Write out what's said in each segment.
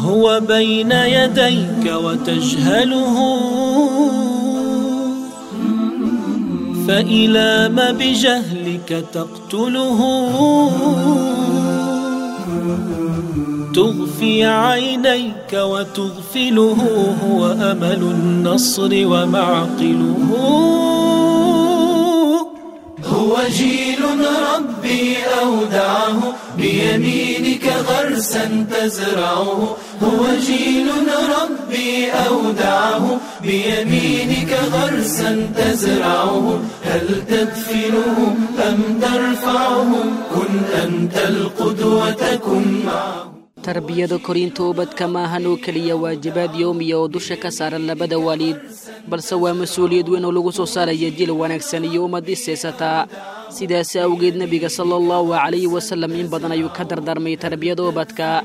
هو بين يديك وتجهله، فإلى ما بجهلك تقتله؟ تغفي عينيك وتغفله، هو أمل النصر ومعقله. هو جيل ربي أودعه، بيمينك غرسا تزرعه. هو جيل ربي أودعه، بيمينك غرسا تزرعه. هل تدفنه أم ترفعه؟ كن أنت القدوة كن معه. Tarbiyada korinta ubadka maahan oo keliya waajibaad yowmiya oo dusha ka saaran labada waalid, balse waa mas-uuliyad weyn oo lagu soo saaraya jil wanaagsan iyo ummad isaysataa. Sidaas awgeed, nebiga sala allahu calayhi wasalam in badan ayuu ka dardaarmay tarbiyada ubadka,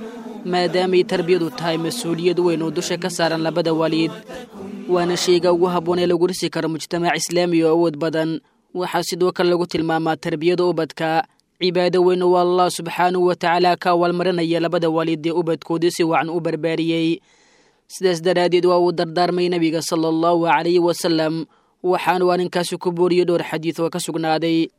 maadaamay tarbiyadu tahay mas-uuliyad weyn oo dusha ka saaran labada waalid, waana shayga ugu habboon ee lagu dhisi karo mujtamac islaami oo awood badan. Waxaa sidoo kale lagu tilmaamaa tarbiyada ubadka cibaado weyn oo Allah subxaanahu wa tacaala ka awaalmarinaya labada waalid ee ubadkoodii si wacan u barbaariyey. Sidaas daraaddeed waa uu dardaarmay nebiga sala allahu calayhi wasalam, waxaanu arrinkaasi ku booriyey dhowr xadiid oo ka sugnaaday.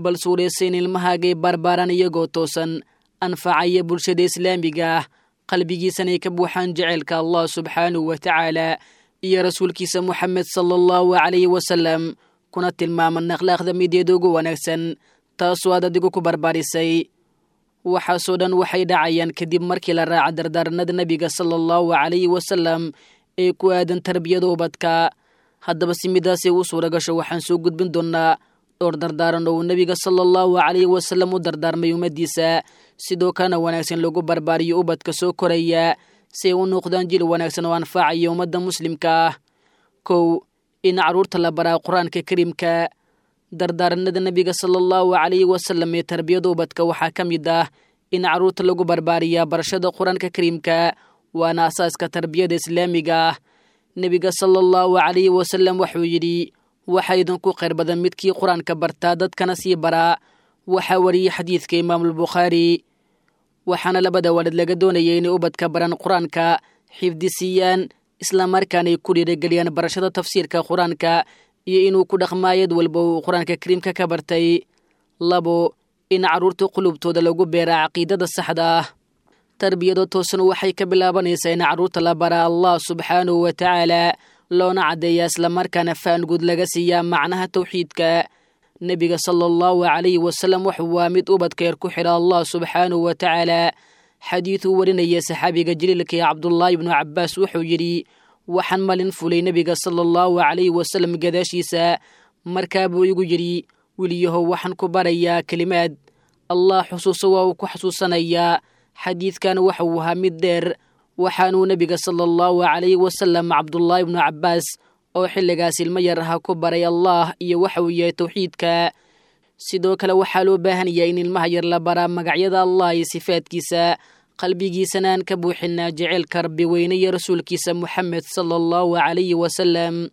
Bal suuraysa in ilmahaagay barbaaraan iyagoo toosan, anfacaya bulshada islaamiga ah, qalbigiisanay ka buuxaan jaceylka Allah subxaanahu wa tacaala iyo rasuulkiisa Moxamed sala allahu calayhi wasalam, kuna tilmaaman akhlaaqda mideeda ugu wanaagsan, taasoo aad adigu ku barbaarisay. Waxaasoo dhan waxay dhacayaan kadib markii la raaca dardaaranada nebiga sala allahu calayhi wasalam ee ku aadan tarbiyada ubadka. Haddaba si midaasay u suura gasho, waxaan soo gudbin doonnaa dhowr dardaaran oo uu nebiga sala allahu calayhi wasalam u dardaarmay ummaddiisa, sidoo kalena wanaagsan lagu barbaariyo ubadka soo koraya si ay u noqdaan jil wanaagsan oo anfacaya ummadda muslimka ah. 1, in carruurta la baraa Qur-aanka Kariimka. Dardaaranada nebiga sala allahu calayhi wasalam ee tarbiyada ubadka waxaa ka mid ah in carruurta lagu barbaariyaa barashada Qur-aanka Kariimka, waana asaaska tarbiyada islaamiga ah. Nebiga sala allahu calayhi wasalam wuxuu yidhi: "Waxaa idinku khayr badan midkii Qur-aanka bartaa, dadkana sii baraa." Waxaa wariyey xadiidka Imaamulbukhaari. Waxaana labada waalid laga doonayay inay ubadka baran Qur-aanka, xifdisiiyaan, islamarkaanay ku dhiirigeliyaan barashada tafsiirka Qur-aanka iyo inuu ku dhaqmaayad walba uu Qur-aanka Kariimka ka bartay. 2, in carruurta qulubtooda lagu beeraa caqiidada saxda ah. Tarbiyada toosan waxay ka bilaabanaysaa in carruurta la baraa Allah subxaanahu wa tacaala, loona caddeeyaa islamarkaana faan guud laga siiyaa macnaha tawxiidka. Nebiga sala allahu calayhi wasalam wuxuu waa mid ubadka yar ku xidha Allah subxaanahu wa tacaala. Xadiiduu warinaya saxaabiga jaliilka ee Cabdullaahi ibnu Cabbaas wuxuu yidhi: "Waxaan malin fulay nebiga sala allahu calayhi wasalam gadaashiisa, markaa buu igu yidhi: 'Weliyahow, waxaan ku barayaa kelimaad. Allah xusuuso, waa uu ku xasuusanayaa.' Xadiidkan waxa uu ahaa mid dheer, waxaanuu nebiga sala allahu calayhi wasalam Cabdullaahi ibnu Cabbaas oo xilligaas ilmo yar aha ku baray Allah iyo waxa uu yahay tawxiidka. Sidoo kale waxaa loo baahan yahay in ilmaha yar la baraa magacyada Allah iyo sifaadkiisa, qalbigiisana aan ka buuxinaa jaceylka Rabbi weyne iyo rasuulkiisa Moxamed sala allahu calayhi wasalam.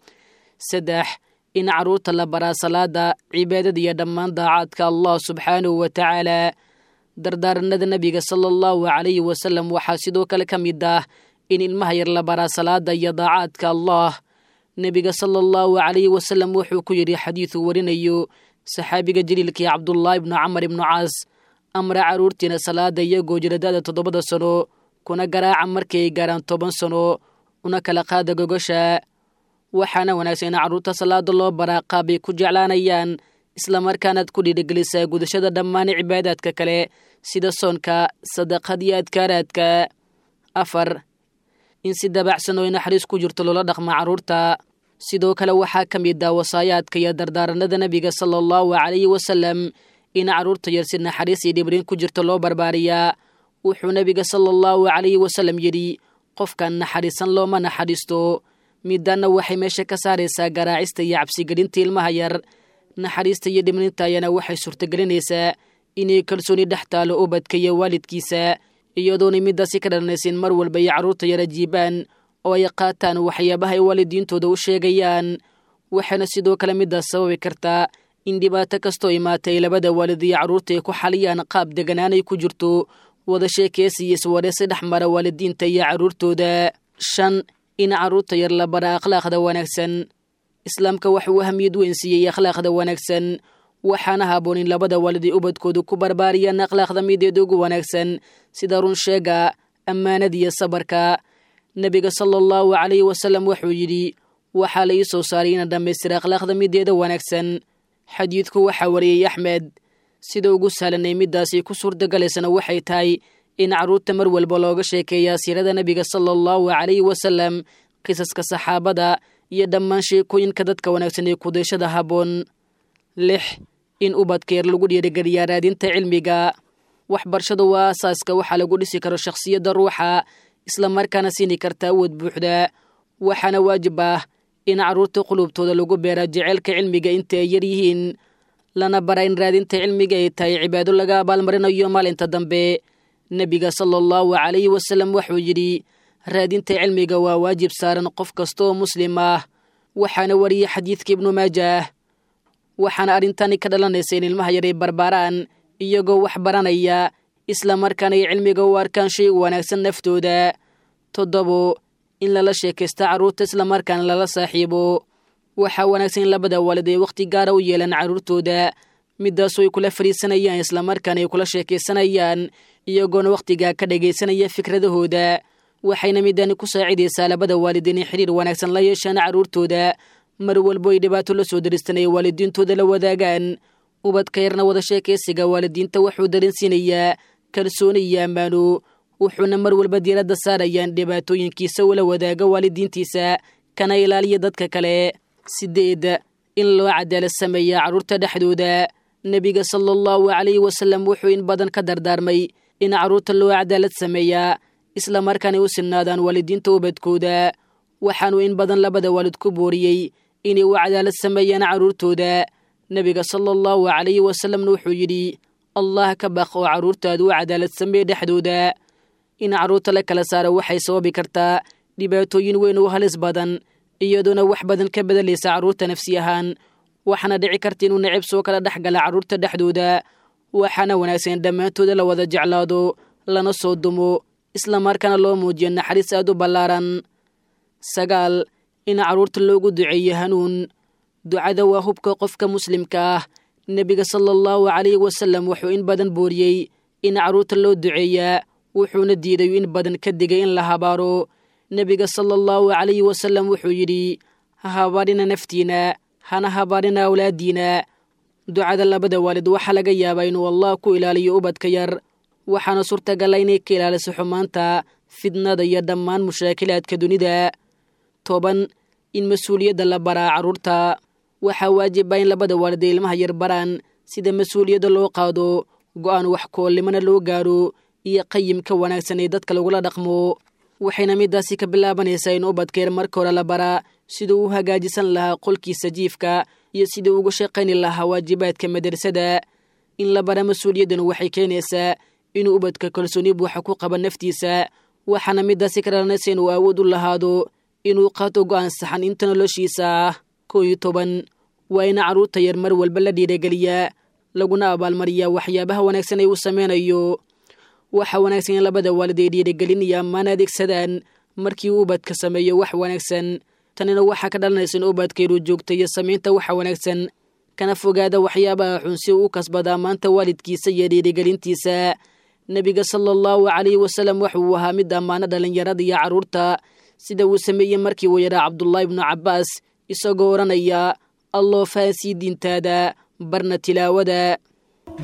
3, in carruurta la baraa salaada, cibaadada iyo dhammaan daacaadka Allah subxaanahu wa tacaala. Dardaaranada nebiga sala allahu calayhi wasalam waxaa sidoo kale ka mid ah in ilmaha yar la baraa salaada iyo daacaadka Allah. Nebiga sala allahu calayhi wasalam wuxuu ku yidhi xadiiduu warinayo saxaabiga jaliilkii Cabdullaahi ibnu Camar ibnu Caas: "Amra carruurtiina salaada iyagoo jira da'da 7da sano, kuna garaaca markii ay gaaraan 10 sano, una kala qaada gogosha." Waxaana wanaagsan in carruurta salaada loo baraa qaabay ku jeclaanayaan, islamarkaanaad ku dhiirigelisaa gudashada dhammaan cibaadaadka kale sida soonka, sadaqad iyo adkaaraadka. 4, in si dabacsan oo naxariis ku jirto loola dhaqma carruurta. Sidoo kale waxaa ka mid ah wasaayaadka iyo dardaaranada nebiga sala allahu calayhi wasalam in carruurta yar si naxariis iyo dhibrin ku jirto loo barbaariyaa. Wuxuu nebiga sala allahu calayhi wasalam yidhi: "Qofkan naxariisan looma naxariisto." Midanna waxay meesha ka saaraysaa garaacista iyo cabsigelinta ilmaha yar. Naxariista iyo dhibrinta ayana waxay suurtagelinaysaa inay kalsooni dhex taalo ubadka iyo waalidkiisa, iyadoona midaasi ka dhalanaysa in mar walba ay carruurta yar ajiibaan oo ay qaataan waxyaabaha ay waalidiintooda u sheegayaan. Waxaana sidoo kale midaas sababi kartaa in dhibaato kastoo imaatay labada waalid iyo carruurta ay ku xaliyaan qaab deganaanay ku jirto. Wada sheekeysi iyo iswareysi dhex mara waalidiinta iyo carruurtooda. 5, in carruurta yar la bara akhlaaqda wanaagsan. Islaamka waxuu ahamiyad weyn siiyey akhlaaqda wanaagsan, waxaana haboon in labada waalid ay ubadkoodu ku barbaariyaan akhlaaqda mideeda ugu wanaagsan, sida run sheega, ammaanada iyo sabarka. Nebiga sala allahu calayhi wasalam wuxuu yidhi: waxaa la ii soo saaray inaan dhammaystira akhlaaqda mideeda wanaagsan. Xadiidku waxaa wariyey Axmed. Sida ugu sahlanay middaasi ku suurtagalaysana waxay tahay in carruurta mar walba looga sheekeeyaa siirada nebiga sala allahu calayhi wasalam, qisaska saxaabada iyo dhammaan sheekooyinka dadka wanaagsan ee kudayshada habboon. 6, in ubadka yar lagu dhiirigeliyaa raadinta cilmiga. Waxbarashadu waa aasaaska waxaa lagu dhisi karo shakhsiyadda ruuxa, islamarkaana siini karta awood buuxda. Waxaana waajib ah in carruurta qulubtooda lagu beera jeceylka cilmiga inta ay yar yihiin, lana bara in raadinta cilmiga ay tahay cibaado laga abaalmarinayo maalinta dambe. Nebiga sala allahu calayhi wasalam wuxuu yidhi: raadinta cilmiga waa waajib saaran qof kasta oo muslim ah. Waxaana wariyey xadiidka Ibnu Maajaah. Waxaana arrintani ka dhalanaysa in ilmaha yar ay barbaaraan iyagoo wax baranaya, islamarkaana ay cilmiga u arkaan shay wanaagsan naftooda. 7, in lala sheekaysta carruurta islamarkaana lala saaxiibo. Waxaa wanaagsan in labada waalid ay wakhti gaara u yeelaan carruurtooda, midaasoo ay kula fariisanayaan islamarkaana ay kula sheekaysanayaan, iyagoona wakhtigaa ka dhagaysanaya fikradahooda. Waxayna midani ku saacidaysaa labada waalid inay xiriir wanaagsan la yeeshaan carruurtooda, mar walbo ay dhibaato la soo daristan ay waalidiintooda la wadaagaan. Ubadka yarna wada sheekaysiga waalidiinta wuxuu dareensiinayaa kalsooni iyo ammaano, wuxuuna mar walba diiradda saarayaan dhibaatooyinkiisa ula wadaaga waalidiintiisa, kana ilaaliya dadka kale. 8, in loo cadaalad sameeya carruurta dhexdooda. Nebiga sala allahu calayhi wasalam wuxuu in badan ka dardaarmay in carruurta loo cadaalad sameeyaa, islamarkaana u sinnaadaan waalidiinta ubadkooda. Waxaanuu in badan labada waalid ku booriyey inay u cadaalad sameeyaan carruurtooda. Nebiga sala allahu calayhi wasalamna wuxuu yidhi: Allah ka baq oo carruurtaadu u cadaalad sameeye dhexdooda. In carruurta la kala saaro waxay sababi kartaa dhibaatooyin weyn oo halis badan, iyadoona wax badan ka bedelaysa carruurta nafsi ahaan. Waxaana dhici karta inuu necib soo kala dhex gala carruurta dhexdooda. Waxaana wanaagsan in dhammaantooda la wada jeclaado, lana soo dumo, islamarkaana loo muujiyo naxariis aad u ballaaran. 9, in carruurta loogu duceeyo hanuun. Ducada waa hubka qofka muslimka ah. Nebiga sala allahu calayhi wasalam wuxuu in badan booriyey in carruurta loo duceeyaa, wuxuuna diiday in badan ka digay in la habaaro. Nebiga sala allahu calayhi wasalam wuxuu yidhi: ha habaarina naftiina, hana habaarina awlaadiina. Ducada labada waalid waxaa laga yaabaa inuu Allah ku ilaaliyo ubadka yar, waxaana suurtagala inay ka ilaaliso xumaanta, fidnada iyo dhammaan mushaakilaadka dunida. 10, in mas-uuliyadda la baraa carruurta. Waxaa waajib ah in labada waalid ay ilmaha yar baraan sida mas-uuliyadda loo qaado, go'aan wax koolnimana loo gaaro, iyo qayimka wanaagsan ee dadka lagula dhaqmo. Waxayna midaasi ka bilaabanaysaa in ubadka yar marka hore la baraa siduu u hagaajisan lahaa qolkiisa jiifka iyo siduu uga shaqayni lahaa waajibaadka madrasada. In la bara mas-uuliyaddan waxay keenaysaa inuu ubadka kalsooni buuxa ku qaba naftiisa, waxaana midaasi ka dhalanaysa inuu awood u lahaado inuu qaato go'aan saxan inta noloshiisa ah. 11, waa in carruurta yar mar walba la dhiirageliyaa, laguna abaalmariyaa waxyaabaha wanaagsan ee uu sameynayo. Waxa wanaagsan in labada waalid ay dhiirigelin iyo ammaan adeegsadaan markii uu ubadka sameeyo wax wanaagsan. Tanina waxaa ka dhalanaysa in ubadka inuu joogtayo samaynta waxa wanaagsan, kana fogaada waxyaabaha xun si uu u kasbada ammaanta waalidkiisa iyo dhiirigelintiisa. Nebiga sala allahu calayhi wasalam wuxuu ahaa mid ammaano dhallinyarada iyo carruurta, sida uu sameeyey markii uu yaraa Cabdullaahi ibnu Cabbaas, isagoo odhanaya: alloo fahansii diintaada, barna tilaawada.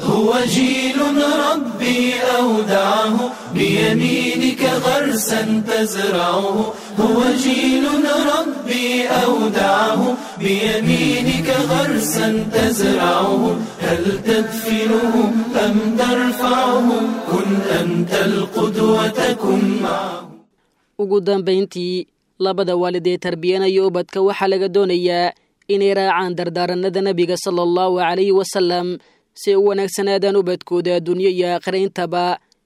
هو جيل ربي أودعه بيمينك غرسا تزرعه، هو جيل ربي أودعه بيمينك غرسا تزرعه، هل تدفنه أم ترفعه؟ كن أنت القدوة كن معه. Ugu dambayntii, labada waalid ee tarbiyanaya ubadka waxaa laga doonayaa inay raacaan dardaaranada nebiga sala allahu calayhi wasalam si ay u wanaagsanaadaan ubadkooda adduunyo iyo aakhira intaba,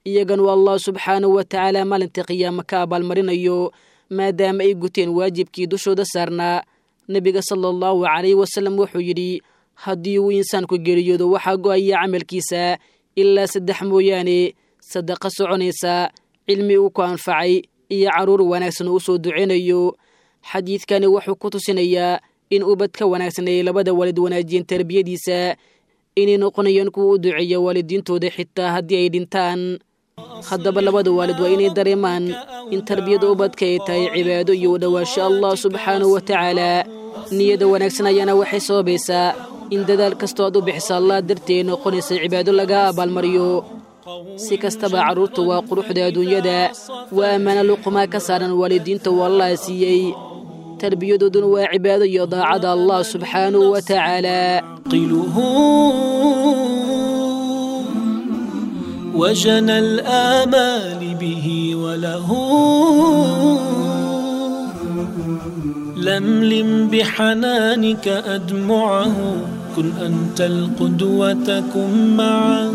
iyaganu Allah subxaanahu wa tacaala maalinta qiyaamo ka abaalmarinayo, maadaama ay guteen waajibkii dushooda saarnaa. Nebiga sala allahu calayhi wasalam wuxuu yidhi: haddii uu insaanku geeriyoodo waxaa go'aya camalkiisa ilaa 3 mooyaane, sadaqa soconaysa, cilmi uu ku anfacay iyo carruur wanaagsan uu soo duceynayo. Xadiidkani wuxuu ku tusinayaa in ubadka wanaagsan ay labada waalid wanaajiyeen tarbiyadiisa inay noqonayaan kuwa u duceeya waalidiintooda xitaa haddii ay dhintaan. Haddaba labada waalid waa inay dareemaan in tarbiyada ubadka ay tahay cibaado iyo u dhowaansho Allah subxaanahu wa tacaala. Niyada wanaagsan ayaana waxay sababaysaa in dadaal kastoo aad u bixisa Allah dartee noqonaysa cibaado laga abaalmariyo. Si kastaba carruurtu waa quruxda adduunyada, waa ammaano luqumaa ka saaran waalidiinta uu Allah siiyey. Tarbiyadooduna waa cibaado iyo daacada Allah subxaanahu wa tacaala. عقله وجنى الآمال به وله لملم بحنانك أدمعه كن أنت القدوة كن معه.